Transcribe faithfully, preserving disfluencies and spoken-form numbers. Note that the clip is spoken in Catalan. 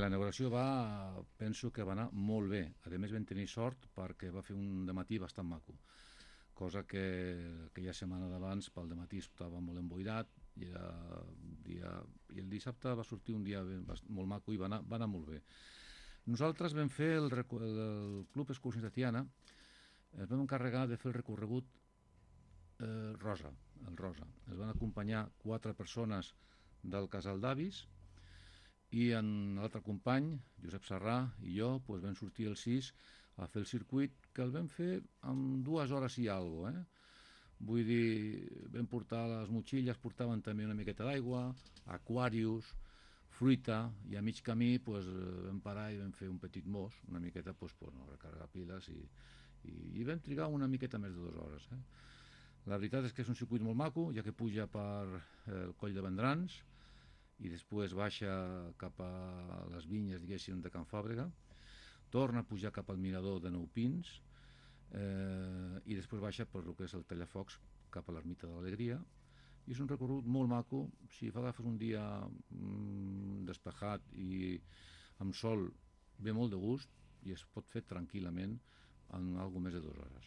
La inauguració va, penso que va anar molt bé. A més vam tenir sort perquè va fer un dematí bastant maco, cosa que aquella setmana d'abans pel dematí estava molt emboirat i, era dia, i el dissabte va sortir un dia ben, molt maco i va anar, va anar molt bé. Nosaltres vam fer el, el Club Excursions de Tiana, ens vam encarregar de fer el recorregut eh, rosa, el rosa. Es van acompanyar quatre persones del casal d'avis i en l'altre company, Josep Serrà, i jo doncs vam sortir el sis a fer el circuit, que el vam fer en dues hores i alguna cosa, eh? Vull dir, vam portar les motxilles, portaven també una miqueta d'aigua, aquarius, fruita, i a mig camí doncs, vam parar i vam fer un petit mos, una miqueta doncs, per no recarregar piles, i, i, i vam trigar una miqueta més de dues hores. Eh? La veritat és que és un circuit molt maco, ja que puja per el coll de Vendrans, i després baixa cap a les vinyes, diguéssim, de Can Fàbrega, torna a pujar cap al mirador de Nou Pins, eh, i després baixa per el que és el Tallafocs cap a l'Ermita de l'Alegria, i és un recorregut molt maco. Si agafes un dia mm, despejat i amb sol, ve molt de gust i es pot fer tranquil·lament en alguna més de dues hores.